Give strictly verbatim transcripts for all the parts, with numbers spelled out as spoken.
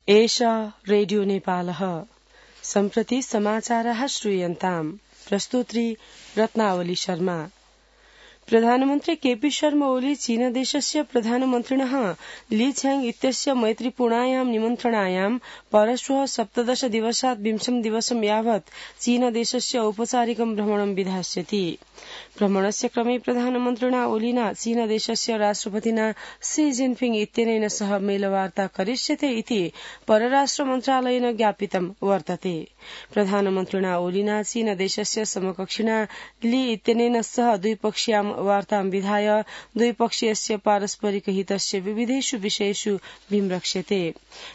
एषा रेडियो नेपालः सम्प्रति समाचारः श्रूयन्ताम् प्रस्तुत्री रत्नावली शर्मा। प्रधानमन्त्री केपी शर्मा ओली चीनदेशस्य प्रधानमन्त्रिणः ली छ्याङ इत्यस्य मैत्रीपूर्णायां निमन्त्रणायां परश्वः सप्तदश दिवसात् विंशं दिवसं यावत् चीनदेशस्य औपचारिकं भ्रमणं विधास्यति। भ्रमणस्य क्रमे प्रधानमन्त्रिणा ओलीना चीनदेशस्य राष्ट्रपतिना शी जिनपिङ इत्यनेन सह मेलवार्ता करिष्यते इति परराष्ट्र मन्त्रालयेन ज्ञापितं वर्तते। प्रधानमन्त्रिणा ओलीना चीनदेशस्य समकक्षिणा ली इत्यनेन सह द्विपक्षीयां वार्तां विधाय द्विपक्षीयस्य पारस्परिक हितस्य विविधेषु विषयेषु विमृश्यते।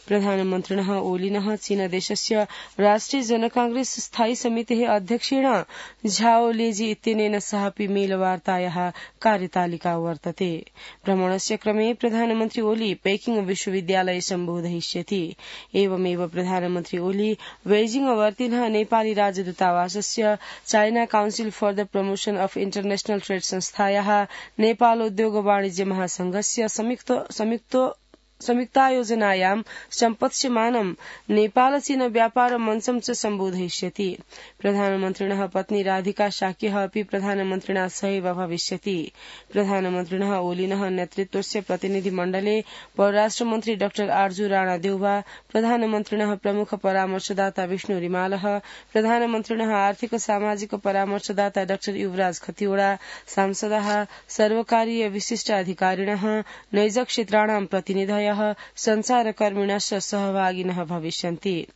प्रधानमन्त्रिणः ओलिनः चीनदेशस्य राष्ट्रिय जनकांग्रेस स्थायी समितेः अध्यक्षेण झाओ लेजी इत्यनेन सहापि मेलवार्तायाः कार्यतालिका वर्तते। भ्रमणस्य क्रमे प्रधानमन्त्री ओली पेकिंग विश्वविद्यालये सम्बोधयिष्यति। एवमेव प्रधानमन्त्री ओली बेजिंग वर्तिनः नेपाली राजदूतावासस्य China Council for the Promotion of International Trade संस्थायाः नेपाल उद्योग वाणिज्य महासंघस्य संयुक्त संयुक्त संयुक्तायोजनायां सम्पत्स्यमानं नेपाल चीन व्यापार मञ्चं च सम्बोधयिष्यति। प्रधानमन्त्रिणः पत्नी राधिका शाक्यः अपि प्रधानमन्त्रिणा सहैव भविष्यति। प्रधानमन्त्रिणः ओलिनः नेतृत्वस्य प्रतिनिधिमण्डले परराष्ट्रमन्त्री डाक्टर आर्जू राणा देउवा, प्रधानमन्त्रिणः प्रमुख परामर्शदाता विष्णु रिमालः, प्रधानमन्त्रिणः आर्थिक सामाजिक परामर्शदाता डाक्टर युवराज खतिवड़ा, सांसदाः, सर्वकारीय विशिष्ट अधिकारिणः, नैज क्षेत्राणां प्रतिनिधयः, संचारकर्मिणश्च सहभागिनः भविष्यन्ति।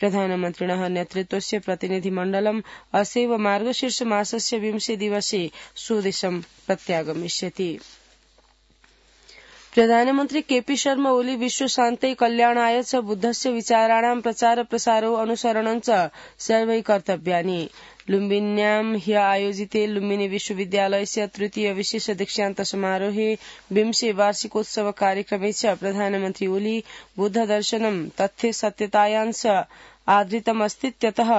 प्रधानमन्त्रिणः नेतृत्वस्य प्रतिनिधिमण्डलम् असैव मार्गशीर्ष मासस्य विंशे दिवसे स्वदेशं प्रत्यागमिष्यति। प्रधानमन्त्री केपी शर्मा ओली विश्व शान्तै कल्याणाय च बुद्धस्य विचाराणां प्रचार प्रसारो अनुसरणं च सर्वै कर्तव्यानि। लुम्बिन्यां ह्य आयोजिते लुम्बिनी विश्वविद्यालयस्य तृतीय विशेष दीक्षान्त समारोहे विंशे वार्षिकोत्सव कार्यक्रमे च प्रधानमन्त्री ओली बुद्ध दर्शनं तथ्य सत्यतायां च आधृतमस्तीत्यतः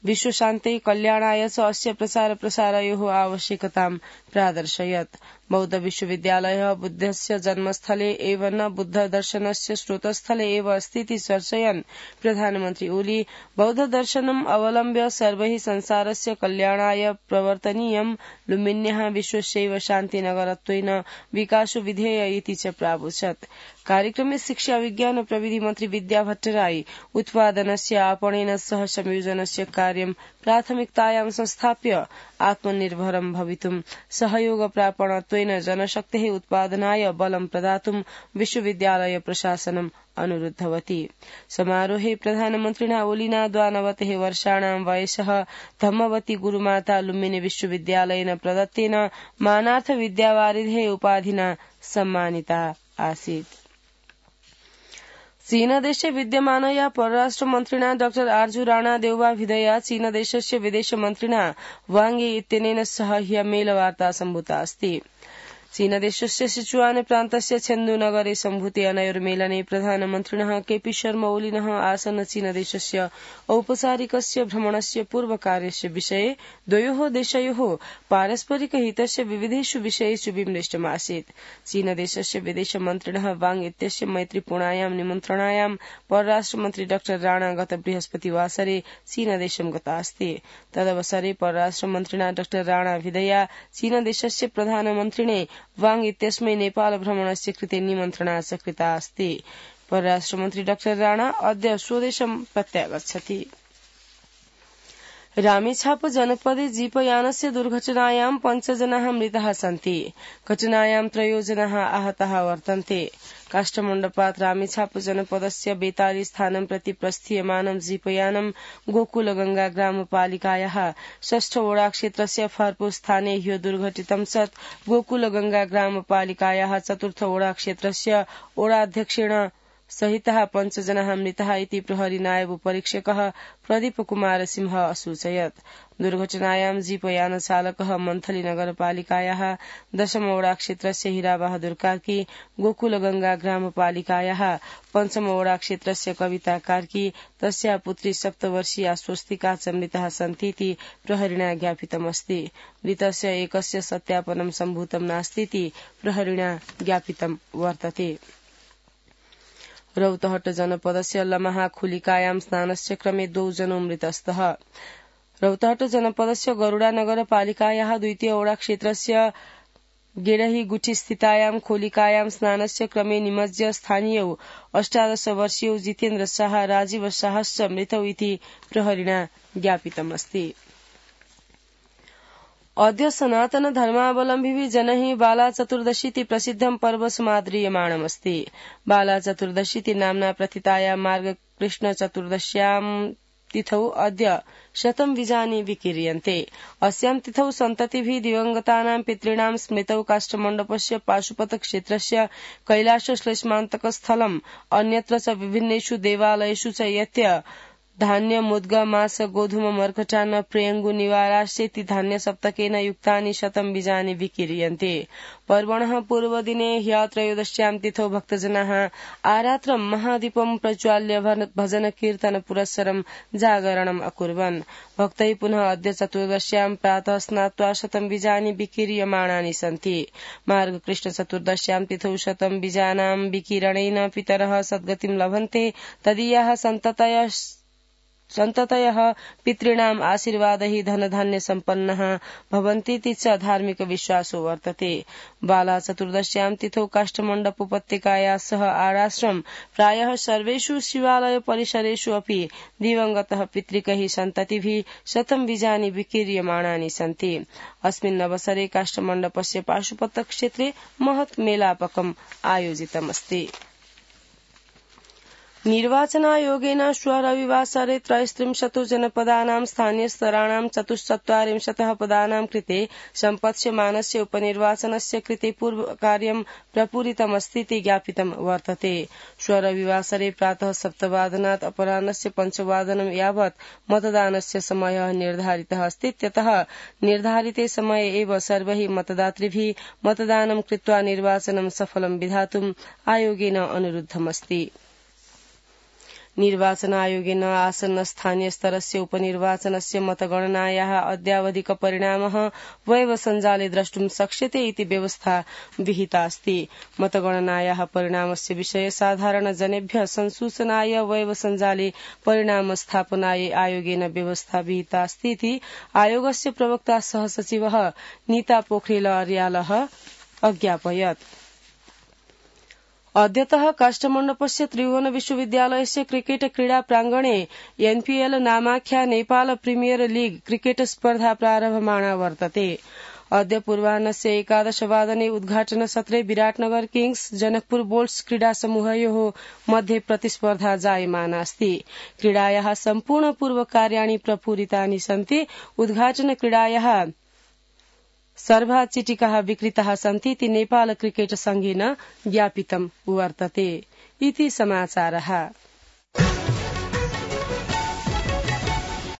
विश्वशान्तै कल्याणाय च अस्य प्रचार प्रसारयोः आवश्यकतां प्रादर्शयत्। बौद्ध विश्वविद्यालयः बुद्धस्य जन्मस्थले एव न बुद्ध दर्शनस्य स्रोतस्थले एव अस्तीति चर्चयन् प्रधानमन्त्री ओली बौद्ध दर्शनम् अवलम्ब्य सर्वैः संसारस्य कल्याणाय प्रवर्तनीयं लुम्बिन्याः विश्वस्यैव शान्तिनगरत्वेन विकासो विधेय इति च प्रावोचत्। कार्यक्रमे शिक्षा विज्ञान प्रविधि मन्त्री विद्या भट्टराई उत्पादनस्य आपणेन सह संयोजनस्य कार्यं प्राथमिकतायां संस्थाप्य आत्मनिर्भरं भवितुं सहयोग प्रापणत्वेन जनशक्तेः उत्पादनाय बलं प्रदातुं विश्वविद्यालय प्रशासनम् अनुरुद्धवती। समारोहे प्रधानमन्त्रिणा ओलिना द्वानवतिः वर्षाणां वयसः धम्मवती गुरुमाता लुम्बिनी विश्वविद्यालयेन प्रदत्तेन मानार्थ विद्यावारिधेः उपाधिना सम्मानिता आसीत्। चीनदेशे विद्यमानया परराष्ट्रमन्त्रिणा डाक्टर आर्जू राणा देउवा विधया चीनदेशस्य विदेशमन्त्रिणा वांग यी इत्यनेन सह ह्य मेलवार्ता सम्भूता अस्ति। चीनदेशस्य सिचुआन प्रान्तस्य छेन्दु नगरे सम्भूते अनयोर्मेलने प्रधानमन्त्रिणः केपी शर्मा ओलिनः आसन्न चीनदेशस्य औपचारिकस्य भ्रमणस्य पूर्वकार्यस्य विषये द्वयोः देशयोः पारस्परिक हितस्य विविधेषु विषयेषु विमृष्टमासीत्। चीनदेशस्य विदेशमन्त्रिणः वांग इत्यस्य मैत्रीपूर्णायां निमन्त्रणायां परराष्ट्रमन्त्री डाक्टर राणा गत बृहस्पतिवासरे चीनदेशं गता अस्ति। तदवसरे परराष्ट्रमन्त्रिणा डाक्टर राणा विधया चीनदेशस्य प्रधानमन्त्रिणे वांग इत्यस्मै नेपाल भ्रमणस्य कृते निमन्त्रणा च कृता अस्ति। परराष्ट्रमन्त्री डाक्टर राणा अद्य स्वदेशं प्रत्यागच्छति। रामेछाप जनपदे जीपयानस्य दुर्घटनायां पञ्चजनाः मृताः सन्ति। घटनायां त्रयो जनाः आहताः वर्तन्ते। काष्ठमण्डपात् रामेछाप जनपदस्य बेताली स्थानं प्रति प्रस्थीयमानं जीपयानं गोकुलगंगा ग्रामपालिकायाः षष्ठ वडा क्षेत्रस्य फर्पो स्थाने ह्यो दुर्घटितं सत् गोकुलगंगा ग्रामपालिकायाः चतुर्थ वडा क्षेत्रस्य वडाध्यक्षेण सहितः पञ्चजनाः मृताः इति प्रहरी नायब परीक्षकः प्रदीप कुमार सिंह असूचयत्। दुर्घटनायां जीपयान चालकः मन्थली नगरपालिकायाः दशम वडा क्षेत्रस्य हीराबहादुर कार्की, गोकुलगंगा ग्रामपालिकायाः पञ्चम वडा क्षेत्रस्य कविता कार्की, तस्या पुत्री सप्तवर्षीया स्वस्तिका च मृताः सन्तीति प्रहरिणा ज्ञापितमस्ति। मृतस्य एकस्य सत्यापनं सम्भूतं नास्तीति प्रहरिणा ज्ञापितं वर्तते। रौतहट जनपदस्य लमहाखुलिकायां स्नानस्य क्रमे द्वौ जनौ मृतस्तः। रौतहट जनपदस्य गरुडा नगरपालिकायाः द्वितीय ओडा क्षेत्रस्य गेडही गुठी स्थितायां खोलिकायां स्नानस्य क्रमे निमज्य स्थानीयौ अष्टादश वर्षीयौ जितेन्द्र शाह राजीव शाहश्च मृतौ इति प्रहरिणा ज्ञापितमस्ति। अद्य सनातन धर्मावलम्बिभिः जनैः बाला चतुर्दशीति प्रसिद्धं पर्व समाद्रियमाणमस्ति। बाला चतुर्दशीति नाम्ना प्रथिताया मार्ग कृष्ण चतुर्दश्यां तिथौ अद्य शतं बीजानि विकीर्यन्ते। अस्यां तिथौ सन्ततिभिः दिवंगतानां पितॄणां स्मृतौ काष्ठमण्डपस्य पाशुपत क्षेत्रस्य कैलाश श्लेष्मान्तकस्थलम् अन्यत्र च विभिन्नेषु देवालयेषु च यत्य धान्य मुद्ग मास गोधूम मर्कटान्न प्रियङ्गु निवाराश्चेति धान्य सप्तकेन युक्तानि शतं बीजानि विकीर्यन्ते। पर्वणः पूर्वदिने ह्य त्रयोदश्यां तिथौ भक्तजनाः आरात्रं महादीपं प्रज्वाल्य भजन कीर्तन पुरस्सरं जागरणम् अकुर्वन्। भक्तैः पुनः अद्य चतुर्दश्यां प्रातः स्नात्वा शतं बीजानि विकीर्यमाणानि सन्ति। मार्गकृष्ण चतुर्दश्यां तिथौ शतं बीजानां विकीरणेन पितरः सद्गतिं लभन्ते। तदीयाः सन्ततयः सन्ततयः पितॄणाम् आशीर्वादैः धनधान्य सम्पन्नः भवन्तीति च धार्मिक विश्वासो वर्तते। बाला चतुर्दश्यां तिथौ काष्ठमण्डपोपत्यकाया सह आराश्रम प्रायः सर्वेषु शिवालय परिसरेषु अपि दिवंगतः पितृकैः सन्ततिभिः शतं बीजानि विकीर्यमाणानि सन्ति। अस्मिन् अवसरे काष्ठमण्डपस्य पाशुपत क्षेत्रे महत् मेलापकम् आयोजितमस्ति। निर्वाचनायोगेन श्व रविवासरे त्रयस्त्रिंशत् जनपदानां स्थानीयस्तराणां चतुश्चत्वारिंशतः पदानां कृते सम्पत्स्यमानस्य उपनिर्वाचनस्य कृते पूर्वकार्यं प्रपूरितमस्तीति ज्ञापितं वर्तते। श्व रविवासरे प्रातः सप्तवादनात् अपराह्नस्य पञ्चवादनं यावत् मतदानस्य समयः निर्धारितः अस्ति। इत्यतः निर्धारिते समये एव सर्वैः मतदातृभिः मतदानं कृत्वा निर्वाचनं सफलं विधातुम् आयोगेन अनुरुद्धमस्ति। निर्वाचन आयोगेन आसन्न स्थानीय स्तरस्य उपनिर्वाचनस्य मतगणनायाः अद्यावधिक परिणामः वेब सञ्जाले द्रष्टुं शक्यते इति व्यवस्था विहिता अस्ति। मतगणनायाः परिणामस्य विषये साधारण जनेभ्यः संसूचनाय वेब सञ्जाले परिणाम स्थापनाय आयोगेन व्यवस्था विहिता अस्ति इति आयोगस्य प्रवक्ता सह सचिवः नीता पोखरेल अर्यालः अज्ञापयत्। अद्यतः काष्ठमण्डपस्य त्रिभुवन विश्वविद्यालयस्य क्रिकेट क्रीडा प्रांगणे एनपीएल नामाख्या नेपाल प्रीमियर लीग क्रिकेट स्पर्धा प्रारभमाणा वर्तते। अद्य पूर्वाह्नस्य एकादशवादने उद्घाटन सत्रे विराटनगर किंग्स जनकपुर बोल्ट्स क्रीडा समूहयोः मध्ये प्रतिस्पर्धा जायमाना अस्ति। क्रीडायाः सम्पूर्ण पूर्वकार्याणि प्रपूरितानि सन्ति। उद्घाटन क्रीडायाः सर्वा चिटिकाः विक्रीताः सन्ति इति नेपाल क्रिकेट संघेन ज्ञापितं वर्तते। इति समाचारः।